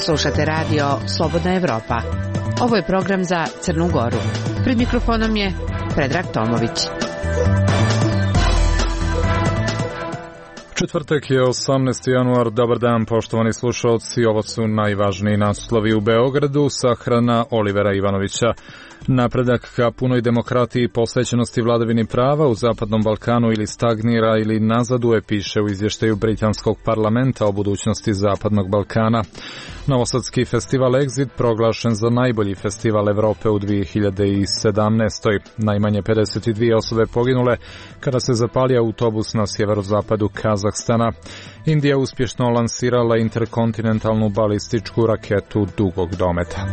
Slušate radio Slobodna Evropa. Ovo je program za Crnu Goru. Pred mikrofonom je Predrag Tomović. Četvrtak je 18. januar. Dobar dan, poštovani slušalci. Ovo su najvažniji naslovi u Beogradu. Sahrana Olivera Ivanovića. Napredak ka punoj demokratiji i posvećenosti vladavini prava u Zapadnom Balkanu ili stagnira ili nazaduje, piše u izvještaju Britanskog parlamenta o budućnosti Zapadnog Balkana. Novosadski festival Exit proglašen za najbolji festival Evrope u 2017. Najmanje 52 osobe poginule kada se zapalio autobus na sjeverozapadu Kazahstana. Indija uspješno lansirala interkontinentalnu balističku raketu dugog dometa.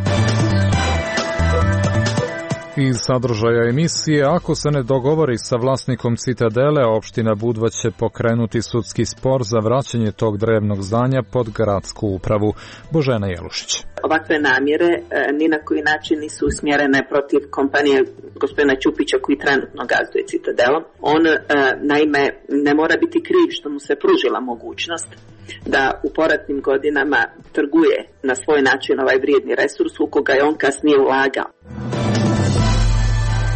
Iz sadržaja emisije, ako se ne dogovori sa vlasnikom Citadele, opština Budva će pokrenuti sudski spor za vraćanje tog drevnog zdanja pod gradsku upravu. Božena Jelušić. Ovakve namjere ni na koji način nisu usmjerene protiv kompanije gospodina Ćupića koji trenutno gazduje Citadelom. On naime ne mora biti kriv što mu se pružila mogućnost da u poratnim godinama trguje na svoj način ovaj vrijedni resurs u koga je on kasnije ulagao.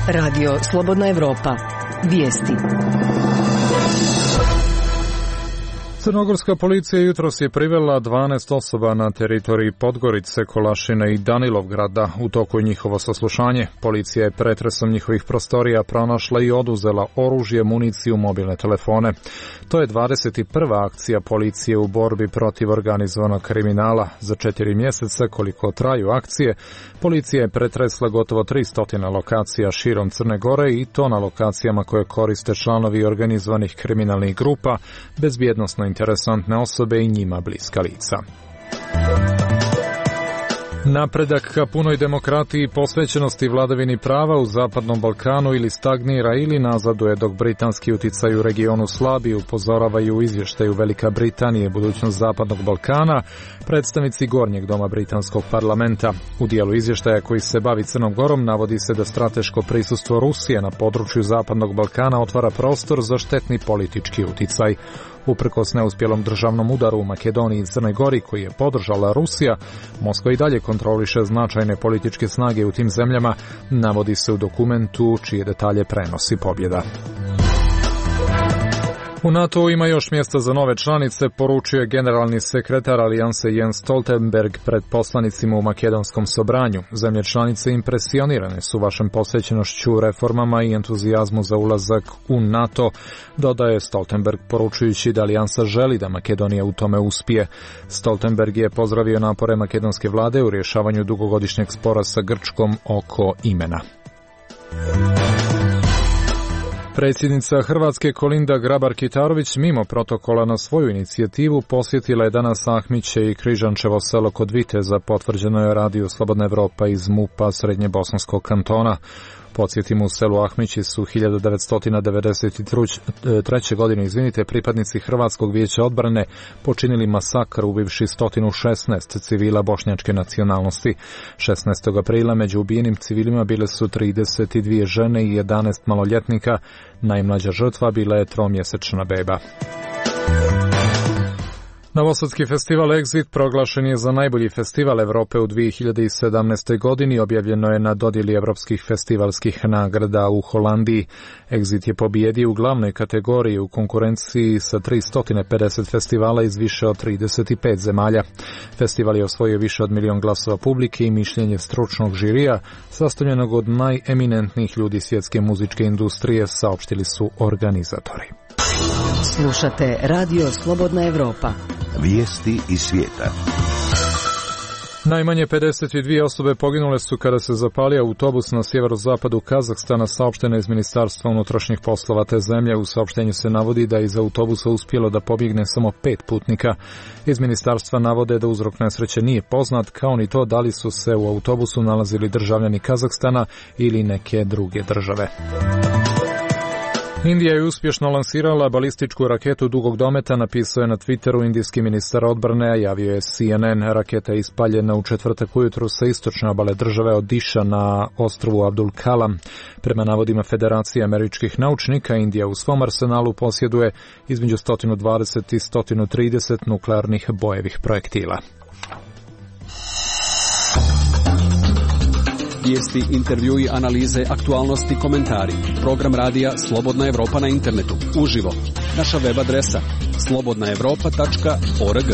Radio Slobodna Evropa. Vijesti. Crnogorska policija jutros je privela 12 osoba na teritoriji Podgorice, Kolašine i Danilovgrada. U toku je njihovo saslušanje. Policija je pretresom njihovih prostorija pronašla i oduzela oružje, municiju, mobilne telefone. To je 21. akcija policije u borbi protiv organizovanog kriminala. Za 4 mjeseca, koliko traju akcije, policija je pretresla gotovo 300 lokacija širom Crne Gore i to na lokacijama koje koriste članovi organizovanih kriminalnih grupa, bezbjednosno interesantne osobe i njima bliska lica. Napredak ka punoj demokratiji i posvećenosti vladavini prava u Zapadnom Balkanu ili stagnira ili nazaduje dok britanski uticaj u regionu slabi, upozoravaju u izvještaju Velika Britanije budućnost Zapadnog Balkana predstavnici Gornjeg doma britanskog parlamenta. U dijelu izvještaja koji se bavi Crnom Gorom navodi se da strateško prisustvo Rusije na području Zapadnog Balkana otvara prostor za štetni politički uticaj. Uprkos neuspjelom državnom udaru u Makedoniji i Crnoj Gori koji je podržala Rusija, Moskva i dalje kontroliše značajne političke snage u tim zemljama, navodi se u dokumentu čije detalje prenosi Pobjeda. U NATO ima još mjesta za nove članice, poručio je generalni sekretar Alijanse Jens Stoltenberg pred poslanicima u makedonskom sobranju. Zemlje članice impresionirane su vašom posvećenošću reformama i entuzijazmu za ulazak u NATO, dodaje Stoltenberg poručujući da Alijansa želi da Makedonija u tome uspije. Stoltenberg je pozdravio napore makedonske vlade u rješavanju dugogodišnjeg spora sa Grčkom oko imena. Predsjednica Hrvatske Kolinda Grabar-Kitarović mimo protokola na svoju inicijativu posjetila je danas Ahmiće i Križančevo selo kod Viteza, potvrđeno je radiju Slobodna Evropa iz MUP-a Srednjebosanskog kantona. Podsjetimo, u selu Ahmići su 1993. godine pripadnici Hrvatskog vijeća odbrane počinili masakr ubivši 116 civila bošnjačke nacionalnosti. 16. aprila među ubijenim civilima bile su 32 žene i 11 maloljetnika. Najmlađa žrtva bila je 3-mjesečna beba. Novosadski festival Exit proglašen je za najbolji festival Evrope u 2017. godini, objavljeno je na dodjeli evropskih festivalskih nagrada u Holandiji. Exit je pobijedio u glavnoj kategoriji u konkurenciji sa 350 festivala iz više od 35 zemalja. Festival je osvojio više od 1 milion glasova publike i mišljenje stručnog žirija, sastavljenog od najeminentnijih ljudi svjetske muzičke industrije, saopštili su organizatori. Slušate Radio Slobodna Evropa. Vijesti iz svijeta. Najmanje 52 osobe poginule su kada se zapalio autobus na sjeverozapadu Kazahstana, saopšteno iz Ministarstva unutrašnjih poslova te zemlje. U saopštenju se navodi da je iz autobusa uspjelo da pobjegne samo 5 putnika. Iz ministarstva navode da uzrok nesreće nije poznat, kao ni to da li su se u autobusu nalazili državljani Kazahstana ili neke druge države. Indija je uspješno lansirala balističku raketu dugog dometa, napisao je na Twitteru indijski ministar odbrane, a javio je CNN. Raketa je ispaljena u četvrtak ujutru sa istočne obale države Odiša na ostrvu Abdul Kalam. Prema navodima Federacije američkih naučnika, Indija u svom arsenalu posjeduje između 120 i 130 nuklearnih bojevih projektila. Vijesti, intervjui, analize, aktualnosti, komentari. Program radija Slobodna Evropa na internetu. Uživo. Naša web adresa slobodnaevropa.org.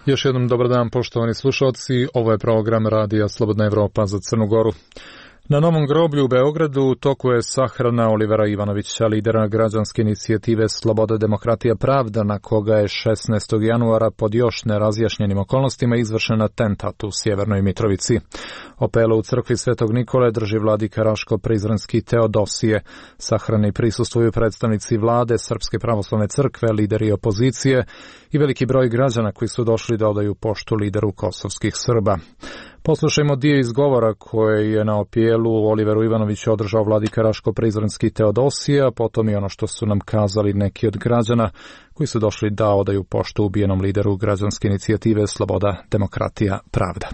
Još jednom dobar dan, poštovani slušalci. Ovo je program radija Slobodna Evropa za Crnu Goru. Na Novom groblju u Beogradu u toku je sahrana Olivera Ivanovića, lidera građanske inicijative Sloboda, demokratija, pravda, na koga je 16. januara pod još nerazjašnjenim okolnostima izvršen atentat u Sjevernoj Mitrovici. Opelo u crkvi Svetog Nikole drži vladika Raško-Prizrenski Teodosije. Sahrani prisustvuju predstavnici vlade, Srpske pravoslavne crkve, lideri opozicije i veliki broj građana koji su došli da odaju poštu lideru kosovskih Srba. Poslušajmo dio izgovora koje je na opijelu Oliveru Ivanoviću održao vladika Raško-Prizrenski Teodosije, a potom i ono što su nam kazali neki od građana koji su došli da odaju poštu ubijenom lideru građanske inicijative Sloboda, demokratija, pravda.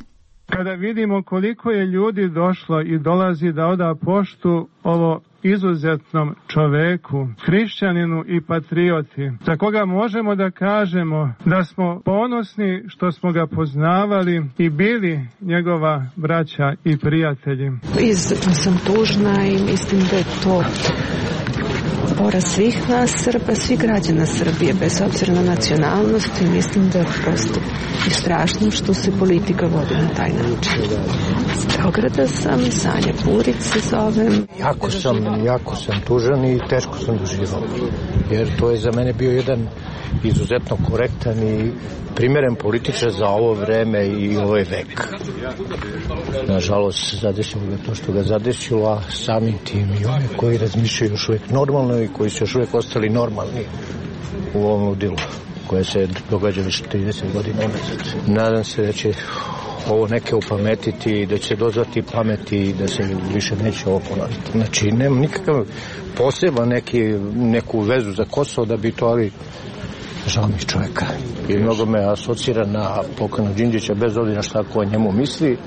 Kada vidimo koliko je ljudi došlo i dolazi da oda poštu ovo izuzetnom čoveku, hrišćaninu i patrioti, za koga možemo da kažemo da smo ponosni što smo ga poznavali i bili njegova braća i prijatelji. Izuzetno sam tužna i mislim da je to poraz svih nas Srba, svih građana Srbije, bez obzira na nacionalnost, i mislim da je prosto i strašno što se politika vodi na taj način. Iz Beograda sam, Sanja Purić se zovem. Jako sam tužan i teško sam doživao, jer to je za mene bio jedan izuzetno korektan i primjeren političar za ovo vreme i ovaj vek. Nažalost, zadesilo ga to što ga zadesilo, a samim tim i oni koji razmišljaju još uvijek normalno i koji su još uvijek ostali normalni u ovom ludilu koje se događa već 30 godina unazad. Nadam se da će ovo neke upametiti i da će dozvati pameti i da se više neće ovo ponoviti. Znači, nema nikakav poseban neku vezu za Kosovo da bi to, ali žao mi čovjeka. I mnogo me asocira na pokojnog Đinđića, bez obzira šta ko o njemu misli.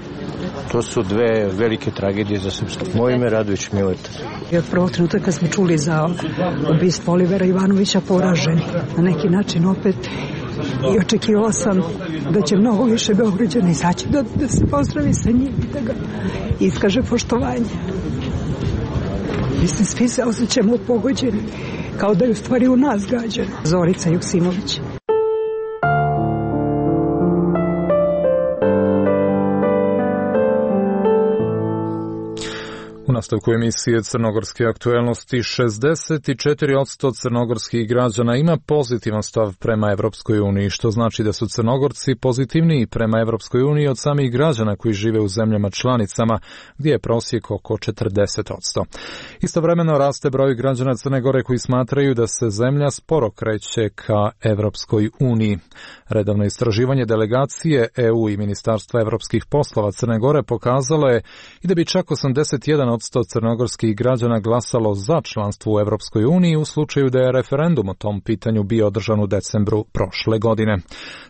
To su dve velike tragedije za srpstvo. Moje ime Radović Mileta. I od prvog trenutka kad smo čuli za ubistvo Olivera Ivanovića poraženi, na neki način opet, i očekivala sam da će mnogo više Beograđana izaći da se pozdravi sa njim i da ga iskaže poštovanje. Mislim, svi se osjećamo pogođeni, kao da je u stvari u nas gađano. Zorica Joksimović. U nastavku emisije Crnogorske aktuelnosti 64% crnogorskih građana ima pozitivan stav prema Evropskoj uniji, što znači da su Crnogorci pozitivniji prema Evropskoj uniji od samih građana koji žive u zemljama članicama, gdje je prosjek oko 40%. Istovremeno raste broj građana Crne Gore koji smatraju da se zemlja sporo kreće ka Evropskoj uniji. Redovno istraživanje delegacije EU i Ministarstva evropskih poslova Crne Gore pokazalo je i da bi čak 81% crnogorskih građana glasalo za članstvo u Evropskoj uniji u slučaju da je referendum o tom pitanju bio održan u decembru prošle godine.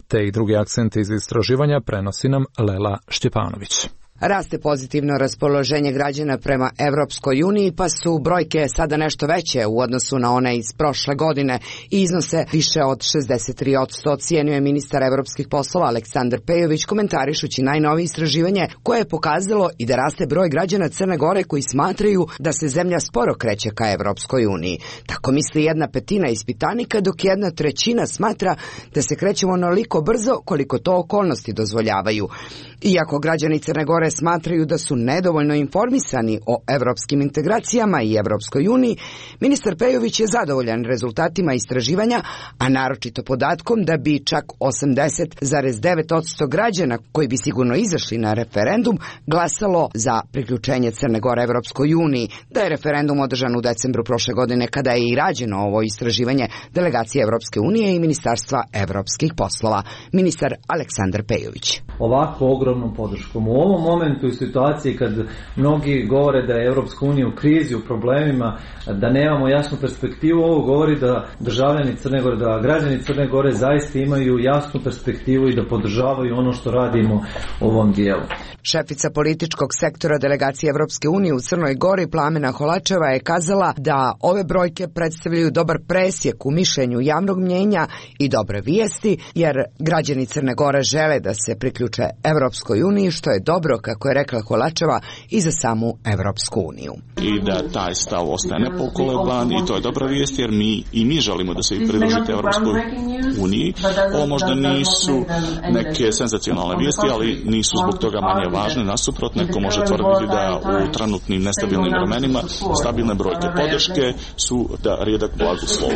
Te i drugi akcenti iz istraživanja prenosi nam Lela Štjepanović. Raste pozitivno raspoloženje građana prema Evropskoj uniji, pa su brojke sada nešto veće u odnosu na one iz prošle godine i iznose više od 63%, ocijenio je ministar evropskih poslova Aleksandar Pejović, komentarišući najnovije istraživanje koje je pokazalo i da raste broj građana Crne Gore koji smatraju da se zemlja sporo kreće ka Evropskoj uniji. Tako misli 1/5 ispitanika, dok 1/3 smatra da se krećemo onoliko brzo koliko to okolnosti dozvoljavaju. Iako građani Crne Gore smatraju da su nedovoljno informisani o evropskim integracijama i Evropskoj uniji, ministar Pejović je zadovoljan rezultatima istraživanja, a naročito podatkom da bi čak 80,9% građana koji bi sigurno izašli na referendum glasalo za priključenje Crne Gore Evropskoj uniji, da je referendum održan u decembru prošle godine kada je i rađeno ovo istraživanje delegacije Evropske unije i Ministarstva evropskih poslova. Ministar Aleksandar Pejović. Ovako ogromnom podrškom u ovom momentu momentu i situaciji kad mnogi govore da je Evropska unija u krizi, u problemima, da nemamo jasnu perspektivu, ovo govori da državljani Crne Gore, da građani Crne Gore zaista imaju jasnu perspektivu i da podržavaju ono što radimo u ovom dijelu. Šefica političkog sektora delegacije Evropske unije u Crnoj Gori Plamena Holačeva je kazala da ove brojke predstavljaju dobar presjek u mišljenju javnog mnjenja i dobre vijesti, jer građani Crne Gore žele da se priključe Evropskoj uniji, što je dobro, kako je rekla Holačeva, i za samu Evropsku uniju. I da taj stav ostaje nepokoleban i to je dobra vijest, jer mi želimo da se pridružite Evropskoj uniji. Ovo možda nisu neke senzacionalne vijesti, ali nisu zbog toga manje važne. Nasuprot, neko može tvrditi da u trenutnim nestabilnim vremenima stabilne brojke podrške su da rijedak blagoslov.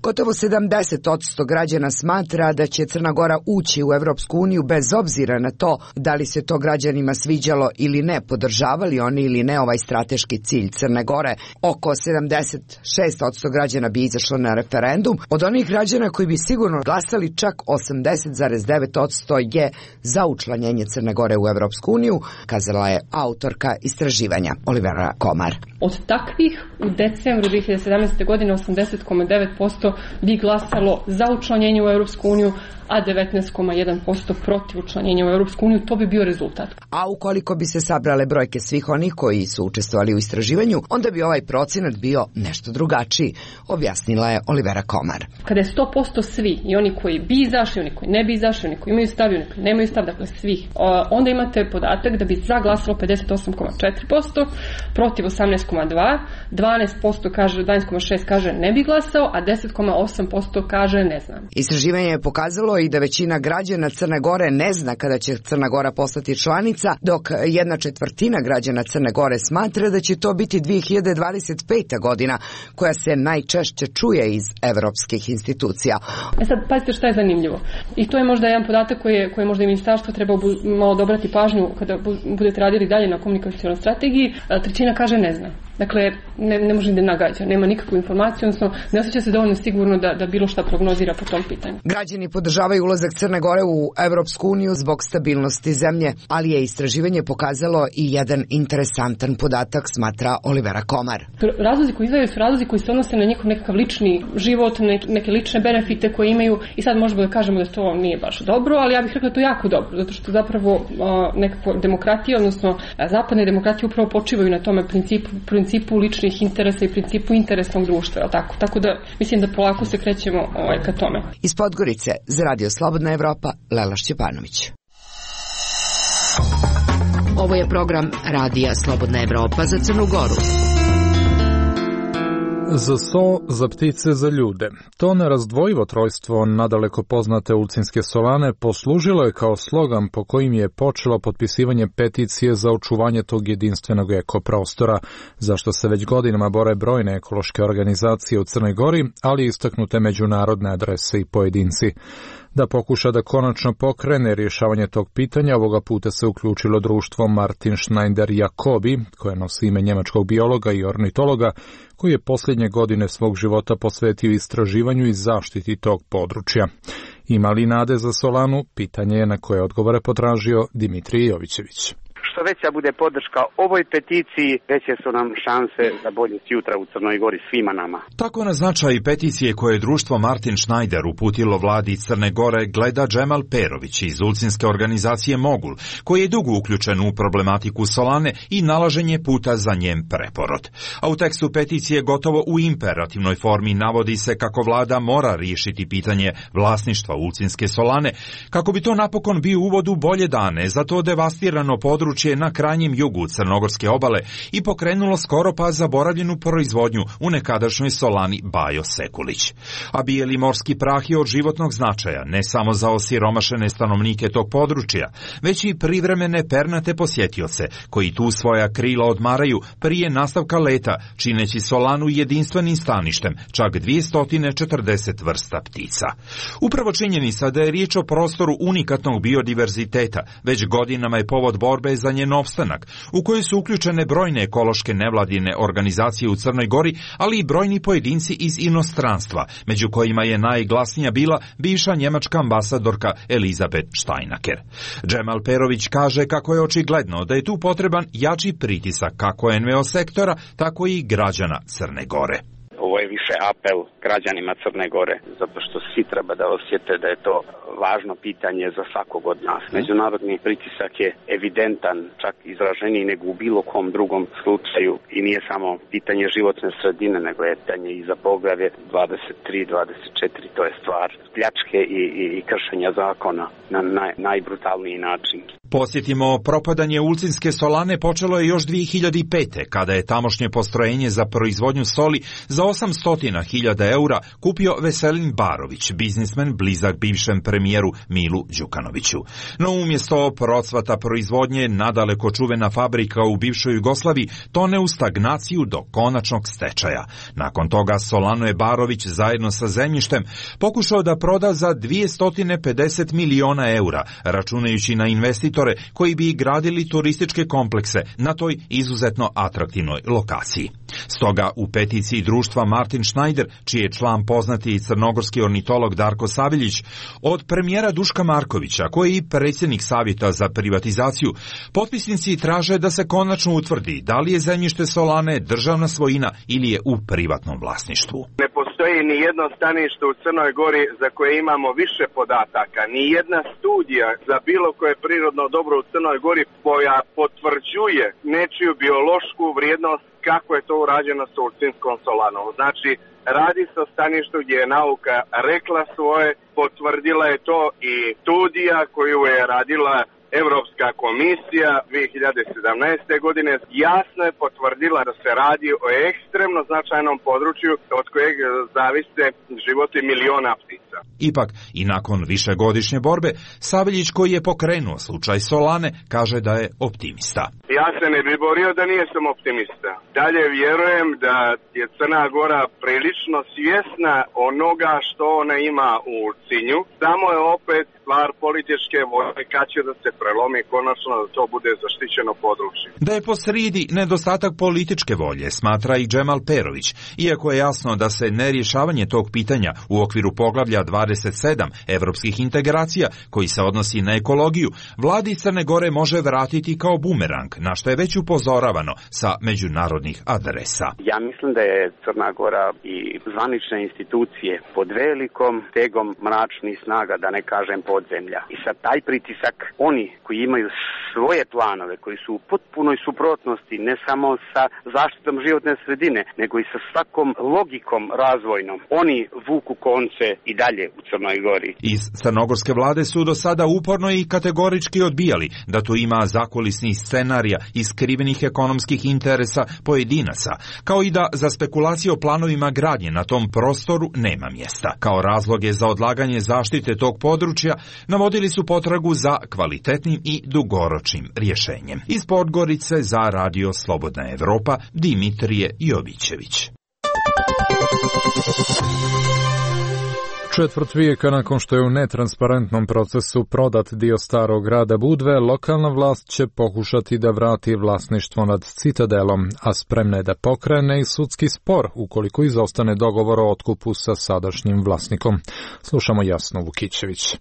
Gotovo 70% građana smatra da će Crna Gora ući u Evropsku uniju bez obzira na to da li se to građanima sviđalo ili ne, podržavali oni ili ne ovaj strateški cilj Crne Gore. Oko 76% građana bi izašlo na referendum. Od onih građana koji bi sigurno glasali, čak 80,9% je za učlanjenje Crne Gore u Evropsku uniju, kazala je autorka istraživanja Olivera Komar. Od takvih u decembru 2017. godine 80,9% bi glasalo za učlanjenje u Evropsku uniju, a 19,1% protiv učlanjenja u Evropsku uniju. To bi bio rezultat. A ukoliko bi se sabrale brojke svih onih koji su učestvovali u istraživanju, onda bi ovaj procenat bio nešto drugačiji, objasnila je Olivera Komar. Kada je 100% svi, i oni koji bi izašli, oni koji ne bi izašli, oni koji imaju stav i oni koji nemaju stav, dakle svih, onda imate podatak da bi za glasalo 58,4%, protiv 18,2%, 12,6% kaže ne bi glasao, a 10,8% kaže ne znam. Istraživanje je pokazalo i da većina građana Crne Gore ne zna kada će Crna Gora postati članica, dok 1/4 građana Crne Gore smatra da će to biti 2025. godina, koja se najčešće čuje iz evropskih institucija. Sad, pazite šta je zanimljivo. I to je možda jedan podatak koji možda i ministarstvo treba malo dobrati pažnju kada budete radili dalje na komunikacionoj strategiji. Trećina kaže ne zna. Dakle, ne može da nagađa, nema nikakvu informaciju, odnosno ne osjeća se dovoljno sigurno da bilo šta prognozira po tom pitanju. Građani podržavaju ulazak Crne Gore u Evropsku uniju zbog stabilnosti zemlje, ali je istraživanje pokazalo i jedan interesantan podatak, smatra Olivera Komar. Razlozi koji izdvajaju su razlozi koji se odnose na njihov nekakav lični život, neke lične benefite koje imaju, i sad možemo da kažemo da to nije baš dobro, ali ja bih rekla da to jako dobro, zato što zapravo nekako demokratija, odnosno zapadne demokratije upravo počivaju na tome principu ličnih interesa i principu interesnog društva, tako da mislim da polako se krećemo ka tome. Iz Podgorice za Radio Slobodna Evropa, Lela Šćepanović. Ovo je program Radija Slobodna Evropa za Crnu Goru. Za so, za ptice, za ljude. To nerazdvojivo trojstvo nadaleko poznate Ulcinske solane poslužilo je kao slogan po kojim je počelo potpisivanje peticije za očuvanje tog jedinstvenog ekoprostora, za što se već godinama bore brojne ekološke organizacije u Crnoj Gori, ali istaknute međunarodne adrese i pojedinci. Da pokuša da konačno pokrene rješavanje tog pitanja, ovoga puta se uključilo društvo Martin Schneider Jacobi, koje nosi ime njemačkog biologa i ornitologa, koji je posljednje godine svog života posvetio istraživanju i zaštiti tog područja. Ima li nade za solanu? Pitanje je na koje odgovore potražio Dimitrij Jovićević. Što veća bude podrška ovoj peticiji, veće su nam šanse za bolje sutra u Crnoj Gori svima nama. Tako na značaj peticije koje je društvo Martin Schneider uputilo vladi Crne Gore gleda Džemal Perović iz ulcinske organizacije Mogul, koji je dugo uključen u problematiku solane i nalaženje puta za njen preporod. A u tekstu peticije gotovo u imperativnoj formi navodi se kako vlada mora riješiti pitanje vlasništva ulcinske solane, kako bi to napokon bio uvod u bolje dane za to devastirano područje na krajnjem jugu Crnogorske obale i pokrenulo skoro pa zaboravljenu proizvodnju u nekadašnjoj solani Bajo Sekulić. A bijeli morski prah je od životnog značaja ne samo za osiromašene stanovnike tog područja, već i privremene pernate posjetioce koji tu svoja krila odmaraju prije nastavka leta, čineći solanu jedinstvenim staništem čak 240 vrsta ptica. Upravo činjenica da je riječ o prostoru unikatnog biodiverziteta već godinama je povod borbe za njen opstanak, u kojoj su uključene brojne ekološke nevladine organizacije u Crnoj Gori, ali i brojni pojedinci iz inostranstva, među kojima je najglasnija bila bivša njemačka ambasadorka Elizabeth Steinaker. Džemal Perović kaže kako je očigledno da je tu potreban jači pritisak kako NVO sektora, tako i građana Crne Gore. Ovo je više apel građanima Crne Gore, zato što svi treba da osjete da je to važno pitanje za svakog od nas. Međunarodni pritisak je evidentan, čak izraženiji nego u bilo kom drugom slučaju i nije samo pitanje životne sredine, nego je pitanje i za poglavlje 23-24, to je stvar pljačke i kršenja zakona na najbrutalniji način. Posjetimo, propadanje Ulcinske solane počelo je još 2005. kada je tamošnje postrojenje za proizvodnju soli za 800.000 eura kupio Veselin Barović, biznismen blizak bivšem premijeru Milu Đukanoviću. No umjesto procvata proizvodnje, nadaleko čuvena fabrika u bivšoj Jugoslaviji tone u stagnaciju do konačnog stečaja. Nakon toga Solanu je Barović zajedno sa zemljištem pokušao da proda za 250 miliona eura, računajući na investitore koji bi gradili turističke komplekse na toj izuzetno atraktivnoj lokaciji. Stoga u peticiji društva Martin Schneider, čiji je član poznati crnogorski ornitolog Darko Saviljić, od premijera Duška Markovića, koji je i predsjednik Savjeta za privatizaciju, potpisnici traže da se konačno utvrdi da li je zemljište Solane državna svojina ili je u privatnom vlasništvu. Ne postoji ni jedno stanište u Crnoj Gori za koje imamo više podataka, ni jedna studija za bilo koje prirodno dobro u Crnoj Gori koja potvrđuje nečiju biološku vrijednost kako je to urađeno sa Ulcinskom solanom. Znači, radi se o staništu gdje je nauka rekla svoje, potvrdila je to i studija koju je radila Europska komisija 2017. godine jasno je potvrdila da se radi o ekstremno značajnom području od kojeg zavise životi miliona ptica. Ipak, i nakon višegodišnje borbe, Saveljić, koji je pokrenuo slučaj Solane, kaže da je optimista. Ja se ne bi borio da nisam optimista. Dalje vjerujem da je Crna Gora prilično svjesna onoga što ona ima u Ulcinju. Samo je opet stvar političke volje kad će da se prelomi konačno da to bude zaštićeno područje. Da je posrijedi nedostatak političke volje, smatra i Džemal Perović, iako je jasno da se nerješavanje tog pitanja u okviru poglavlja 27 evropskih integracija, koji se odnosi na ekologiju, vladi Crne Gore može vratiti kao bumerang, na što je već upozoravano sa međunarodnih adresa. Ja mislim da je Crna Gora i zvanične institucije pod velikom tegom mračnih snaga, da ne kažem podzemlja. I sad taj pritisak, oni koji imaju svoje planove, koji su u potpunoj suprotnosti ne samo sa zaštitom životne sredine, nego i sa svakom logikom razvojnom, oni vuku konce i dalje u Crnoj Gori. Iz crnogorske vlade su do sada uporno i kategorički odbijali da tu ima zakulisnih scenarija i skrivenih ekonomskih interesa pojedinaca, kao i da za spekulacije o planovima gradnje na tom prostoru nema mjesta. Kao razloge za odlaganje zaštite tog područja navodili su potragu za kvalitetnim i dugoročnim rješenjem. Iz Podgorice za Radio Slobodna Evropa, Dimitrije Jovićević. Četvrt vijeka nakon što je u netransparentnom procesu prodat dio starog grada Budve, lokalna vlast će pokušati da vrati vlasništvo nad Citadelom, a spremna je da pokrene i sudski spor ukoliko izostane dogovor o otkupu sa sadašnjim vlasnikom. Slušamo Jasnu Vukićević.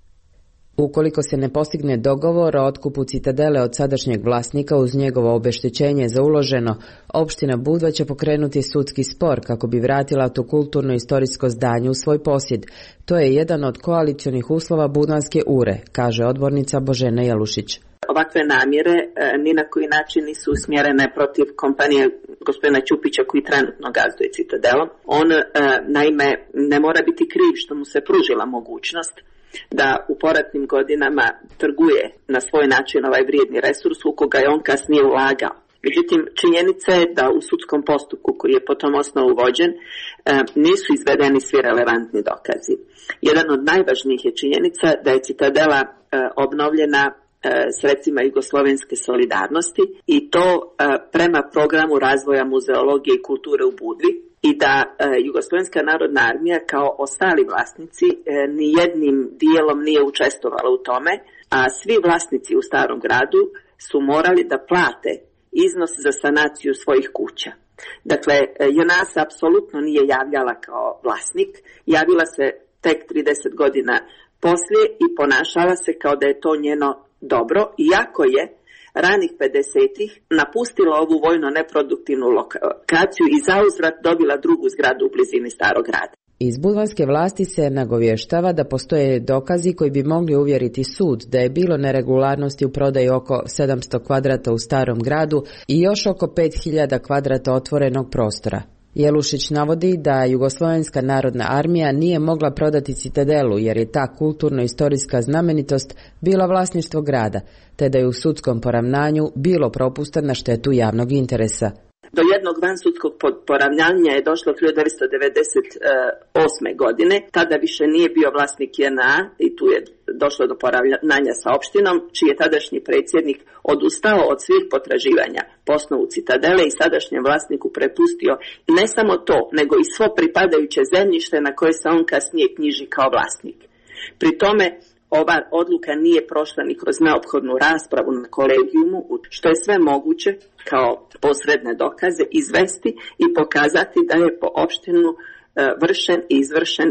Ukoliko se ne postigne dogovor o otkupu Citadele od sadašnjeg vlasnika uz njegovo obeštećenje za uloženo, opština Budva će pokrenuti sudski spor kako bi vratila to kulturno-istorijsko zdanje u svoj posjed. To je jedan od koalicionih uslova Budvanske ure, kaže odbornica Božena Jalušić. Ovakve namjere ni na koji način nisu usmjerene protiv kompanije gospodina Ćupića koji trenutno gazduje Citadelom. On naime ne mora biti kriv što mu se pružila mogućnost da u poratnim godinama trguje na svoj način ovaj vrijedni resurs u koga je on kasnije ulagao. Međutim, činjenica je da u sudskom postupku koji je po tom osnovu vođen nisu izvedeni svi relevantni dokazi. Jedan od najvažnijih je činjenica da je Citadela obnovljena sredstvima jugoslovenske solidarnosti i to prema programu razvoja muzeologije i kulture u Budvi, i da Jugoslovenska narodna armija kao ostali vlasnici ni jednim dijelom nije učestvovala u tome, a svi vlasnici u starom gradu su morali da plate iznos za sanaciju svojih kuća. Dakle, JNA se apsolutno nije javljala kao vlasnik, javila se tek 30 godina poslije i ponašala se kao da je to njeno dobro, iako je ranih 50-ih napustila ovu vojno neproduktivnu lokaciju i zauzvrat dobila drugu zgradu u blizini Starog grada. Iz budvanske vlasti se nagovještava da postoje dokazi koji bi mogli uvjeriti sud da je bilo neregularnosti u prodaji oko 700 kvadrata u Starom gradu i još oko 5000 kvadrata otvorenog prostora. Jelušić navodi da Jugoslovenska narodna armija nije mogla prodati Citadelu jer je ta kulturno-istorijska znamenitost bila vlasništvo grada, te da je u sudskom poravnanju bilo propusta na štetu javnog interesa. Do jednog vansudskog poravnanja je došlo 1998. godine, tada više nije bio vlasnik JNA i tu je došlo do poravnanja sa opštinom, čiji je tadašnji predsjednik odustao od svih potraživanja po osnovu Citadele i sadašnjem vlasniku prepustio ne samo to, nego i svo pripadajuće zemljište na koje se on kasnije knjiži kao vlasnik. Pri tome ova odluka nije prošla ni kroz neophodnu raspravu na kolegijumu, što je sve moguće kao posredne dokaze izvesti i pokazati da je po opštinu vršen i izvršen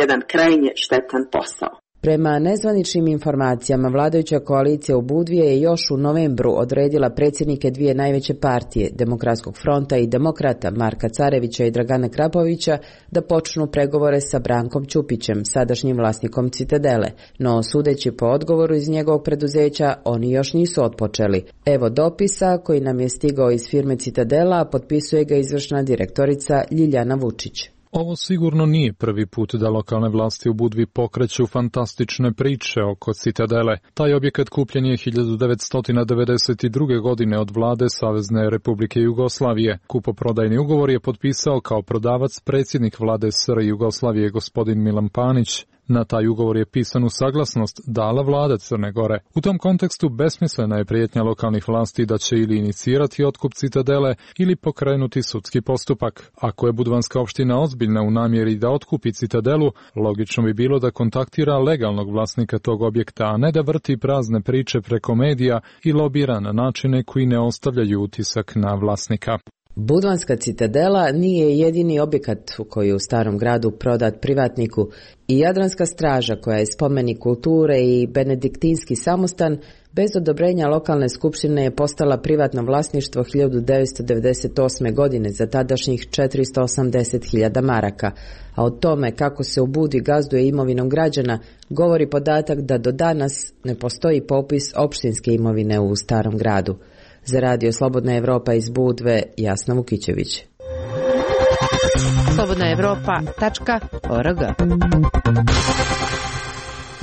jedan krajnje štetan posao. Prema nezvaničnim informacijama, vladajuća koalicija u Budvi je još u novembru odredila predsjednike dvije najveće partije, Demokratskog fronta i Demokrata, Marka Carevića i Dragana Krapovića, da počnu pregovore sa Brankom Ćupićem, sadašnjim vlasnikom Citadele, no sudeći po odgovoru iz njegovog preduzeća, oni još nisu otpočeli. Evo dopisa koji nam je stigao iz firme Citadela, potpisuje ga izvršna direktorica Ljiljana Vučić. Ovo sigurno nije prvi put da lokalne vlasti u Budvi pokreću fantastične priče oko Citadele. Taj objekat kupljen je 1992. godine od vlade Savezne Republike Jugoslavije. Kupoprodajni ugovor je potpisao kao prodavac predsjednik vlade SR Jugoslavije gospodin Milan Panić. Na taj ugovor je pisanu saglasnost dala vlada Crne Gore. U tom kontekstu besmislena je prijetnja lokalnih vlasti da će ili inicirati otkup Citadele ili pokrenuti sudski postupak. Ako je budvanska opština ozbiljna u namjeri da otkupi Citadelu, logično bi bilo da kontaktira legalnog vlasnika tog objekta, a ne da vrti prazne priče preko medija i lobira na načine koji ne ostavljaju utisak na vlasnika. Budvanska Citadela nije jedini objekat koji je u Starom gradu prodat privatniku i Jadranska straža koja je spomenik kulture i benediktinski samostan bez odobrenja lokalne skupštine je postala privatno vlasništvo 1998. godine za tadašnjih 480.000 maraka, a o tome kako se u Budvi gazduje imovinom građana govori podatak da do danas ne postoji popis opštinske imovine u Starom gradu. Za Radio Slobodna Evropa iz Budve, Jasna Vukićević. slobodnaevropa.org.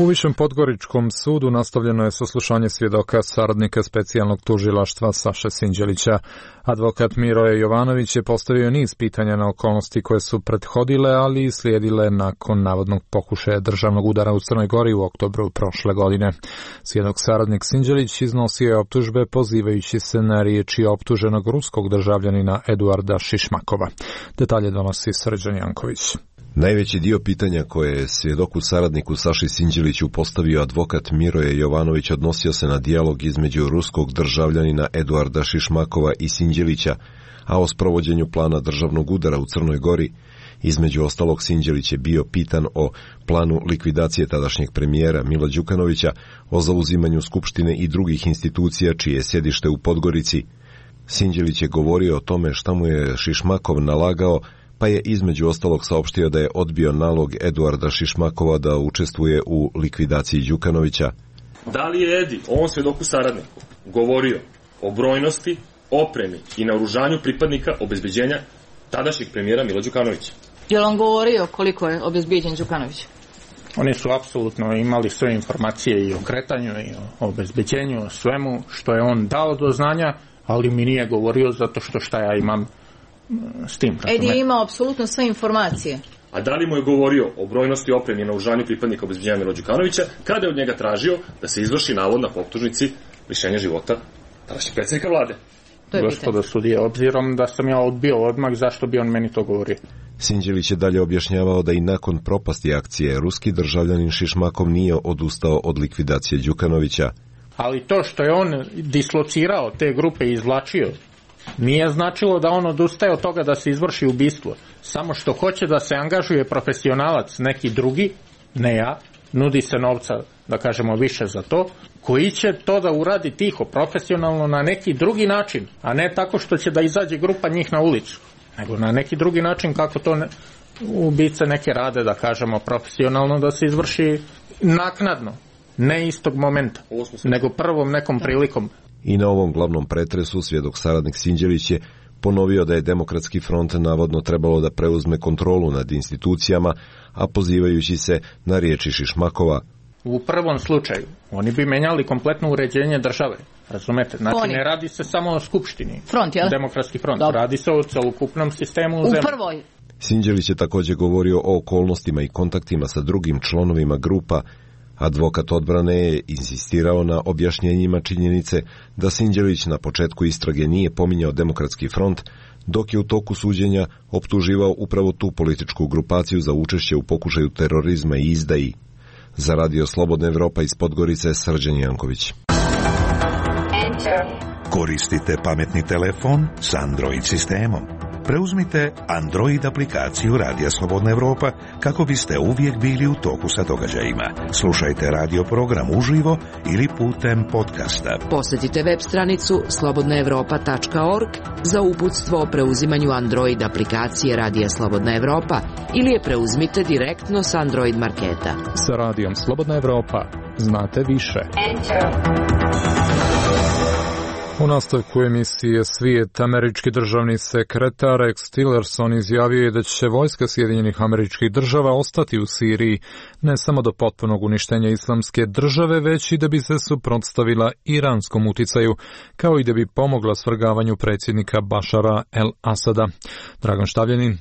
U Višem Podgoričkom sudu nastavljeno je saslušanje svjedoka saradnika specijalnog tužilaštva Saše Sinđelića. Advokat Miroje Jovanović je postavio niz pitanja na okolnosti koje su prethodile, ali i slijedile nakon navodnog pokušaja državnog udara u Crnoj Gori u oktobru prošle godine. Svjedok saradnik Sinđelić iznosio je optužbe pozivajući se na riječi optuženog ruskog državljanina Eduarda Šišmakova. Detalje donosi Srđan Janković. Najveći dio pitanja koje je svjedoku saradniku Saši Sinđeliću postavio advokat Miroje Jovanović odnosio se na dijalog između ruskog državljanina Eduarda Šišmakova i Sinđelića, a o sprovođenju plana državnog udara u Crnoj Gori. Između ostalog, Sinđelić je bio pitan o planu likvidacije tadašnjeg premijera Mila Đukanovića, o zauzimanju Skupštine i drugih institucija čije je sjedište u Podgorici. Sinđelić je govorio o tome šta mu je Šišmakov nalagao, pa je između ostalog saopštio da je odbio nalog Eduarda Šišmakova da učestvuje u likvidaciji Đukanovića. Da li je Edi, ovom svjedoku saradniku, govorio o brojnosti, opremi i naoružanju pripadnika obezbeđenja tadašnjeg premijera Mila Đukanovića? Je li on govorio koliko je obezbeđen Đukanović? Oni su apsolutno imali sve informacije i o kretanju i o obezbeđenju, o svemu što je on dao do znanja, ali mi nije govorio zato što šta ja imam s tim. Edi je imao apsolutno sve informacije. A da li mu je govorio o brojnosti, opremi i naoružanju pripadnika obezbeđenja Mila Đukanovića kada je od njega tražio da se izvrši navod na optužnici lišenja života tadašnjeg predsjednika vlade? Gospodo sudije, obzirom da sam ja odbio odmah, zašto bi on meni to govorio? Sinđelić je dalje objašnjavao da i nakon propasti akcije ruski državljanin Šišmakov nije odustao od likvidacije Đukanovića. Ali to što je on dislocirao te grupe i izvlačio, nije značilo da on odustaje od toga da se izvrši ubistvo. Samo što hoće da se angažuje profesionalac, neki drugi, ne ja, nudi se novca, da kažemo, više za to, koji će to da uradi tiho, profesionalno, na neki drugi način, a ne tako što će da izađe grupa njih na ulicu, nego na neki drugi način kako to ubice neke rade, da kažemo, profesionalno, da se izvrši naknadno, ne istog momenta, nego prvom nekom prilikom. I na ovom glavnom pretresu svjedok saradnik Sinđelić je ponovio da je Demokratski front navodno trebalo da preuzme kontrolu nad institucijama, a pozivajući se na riječi Šišmakova. U prvom slučaju oni bi menjali kompletno uređenje države, razumete? Znači ne radi se samo o Skupštini. Front, jel? Demokratski front. Dobro. Radi se o celokupnom sistemu u zemlji. Prvoj. Sinđelić je također govorio o okolnostima i kontaktima sa drugim članovima grupa. Advokat odbrane je insistirao na objašnjenjima činjenice da Sinđelić na početku istrage nije pominjao Demokratski front, dok je u toku suđenja optuživao upravo tu političku grupaciju za učešće u pokušaju terorizma i izdaji. Za Radio Slobodna Evropa iz Podgorice, Srđan Janković. Koristite pametni telefon s Android sistemom. Preuzmite Android aplikaciju Radija Slobodna Evropa kako biste uvijek bili u toku sa događajima. Slušajte radio program uživo ili putem podcasta. Posjetite web stranicu slobodnaevropa.org za uputstvo o preuzimanju Android aplikacije Radija Slobodna Evropa ili je preuzmite direktno s Android marketa. Sa Radijom Slobodna Evropa znate više. U nastavku emisije Svijet, američki državni sekretar Rex Tillerson izjavio je da će vojska Sjedinjenih Američkih Država ostati u Siriji ne samo do potpunog uništenja Islamske države, već i da bi se suprotstavila iranskom uticaju, kao i da bi pomogla svrgavanju predsjednika Bašara el-Asada. Dragan Štavljanin.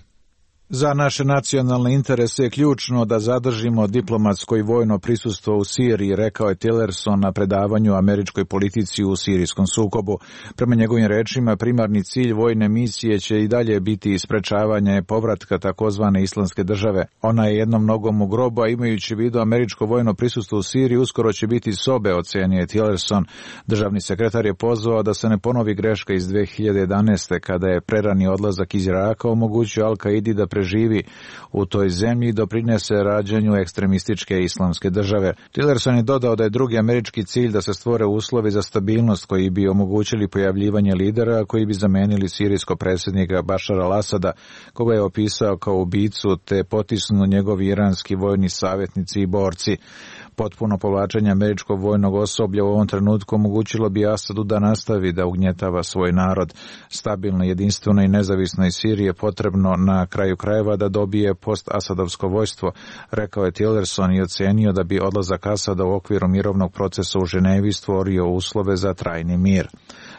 Za naše nacionalne interese je ključno da zadržimo diplomatsko i vojno prisustvo u Siriji, rekao je Tillerson na predavanju američkoj politici u sirijskom sukobu. Prema njegovim rečima, primarni cilj vojne misije će i dalje biti sprečavanje povratka takozvane Islamske države. Ona je jednom nogom u grobu, a imajući u vidu američko vojno prisustvo u Siriji, uskoro će biti sobe, ocenio je Tillerson. Državni sekretar je pozvao da se ne ponovi greška iz 2011. kada je prerani odlazak iz Iraka omogućio Al-Kaidi da preživi u toj zemlji i doprinese rađanju ekstremističke Islamske države. Tillerson je dodao da je drugi američki cilj da se stvore uslovi za stabilnost koji bi omogućili pojavljivanje lidera koji bi zamenili sirijskog predsjednika Bašara al-Asada, koga je opisao kao ubicu, te potisnu njegovi iranski vojni savjetnici i borci. Potpuno povlačenje američkog vojnog osoblja u ovom trenutku omogućilo bi Asadu da nastavi da ugnjetava svoj narod. Stabilno, jedinstveno i nezavisno iz Sirije potrebno na kraju krajeva da dobije post-asadovsko vojstvo, rekao je Tillerson i ocenio da bi odlazak Asada u okviru mirovnog procesa u Ženevi stvorio uslove za trajni mir.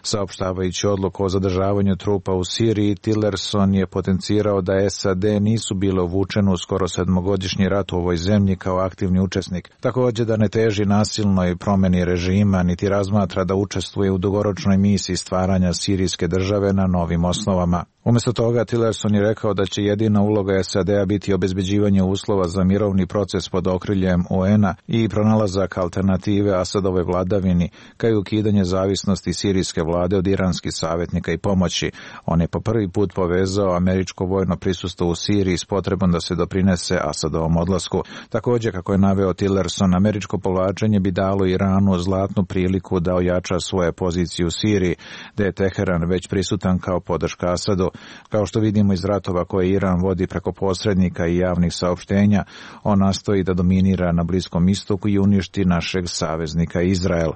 Saopštavajući odluku o zadržavanju trupa u Siriji, Tillerson je potencirao da SAD nisu bile uvučene u skoro 7-godišnji rat u ovoj zemlji kao aktivni učesnik. Također da ne teži nasilnoj promjeni režima, niti razmatra da učestvuje u dugoročnoj misiji stvaranja sirijske države na novim osnovama. Umjesto toga, Tillerson je rekao da će jedina uloga SAD-a biti obezbeđivanje uslova za mirovni proces pod okriljem UN-a i pronalazak alternative Asadove vladavini, kao i ukidanje zavisnosti sirijske vlade od iranskih savjetnika i pomoći. On je po prvi put povezao američko vojno prisustvo u Siriji s potrebom da se doprinese Asadovom odlasku. Također, kako je naveo Tillerson, američko povlačenje bi dalo Iranu zlatnu priliku da ojača svoje pozicije u Siriji, da je Teheran već prisutan kao podrška Asadu. Kao što vidimo iz ratova koje Iran vodi preko posrednika i javnih saopštenja, on nastoji da dominira na Bliskom istoku i uništi našeg saveznika Izrael.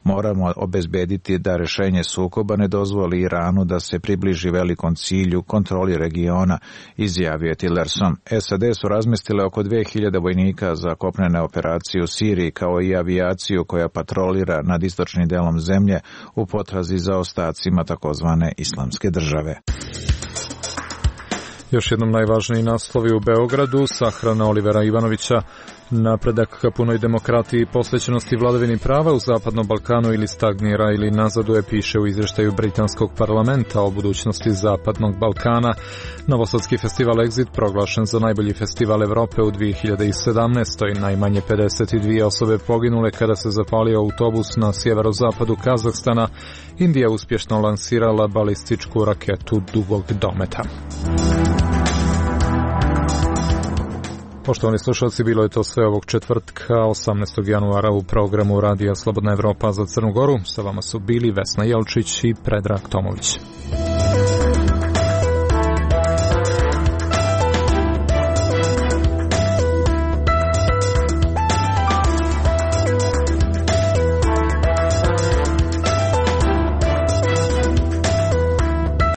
Moramo obezbediti da rješenje sukoba ne dozvoli Iranu da se približi velikom cilju kontroli regiona, izjavio je Tillerson. SAD su razmestile oko 2000 vojnika za kopnene operacije u Siriji, kao i avijaciju koja patrolira nad istočnim delom zemlje u potrazi za ostacima takozvane Islamske države. Još jednom najvažniji naslovi u Beogradu, sahrana Olivera Ivanovića, napredak ka punoj demokratiji i posvećenosti vladavini prava u Zapadnom Balkanu ili stagnira ili nazaduje, piše u izvještaju Britanskog parlamenta o budućnosti Zapadnog Balkana. Novosadski festival Exit proglašen za najbolji festival Evrope u 2017. Najmanje 52 osobe poginule kada se zapalio autobus na sjeverozapadu Kazahstana. Indija uspješno lansirala balističku raketu dugog dometa. Poštovani slušalci, bilo je to sve ovog četvrtka, 18. januara u programu Radija Slobodna Evropa za Crnu Goru. Sa vama su bili Vesna Jelčić i Predrag Tomović.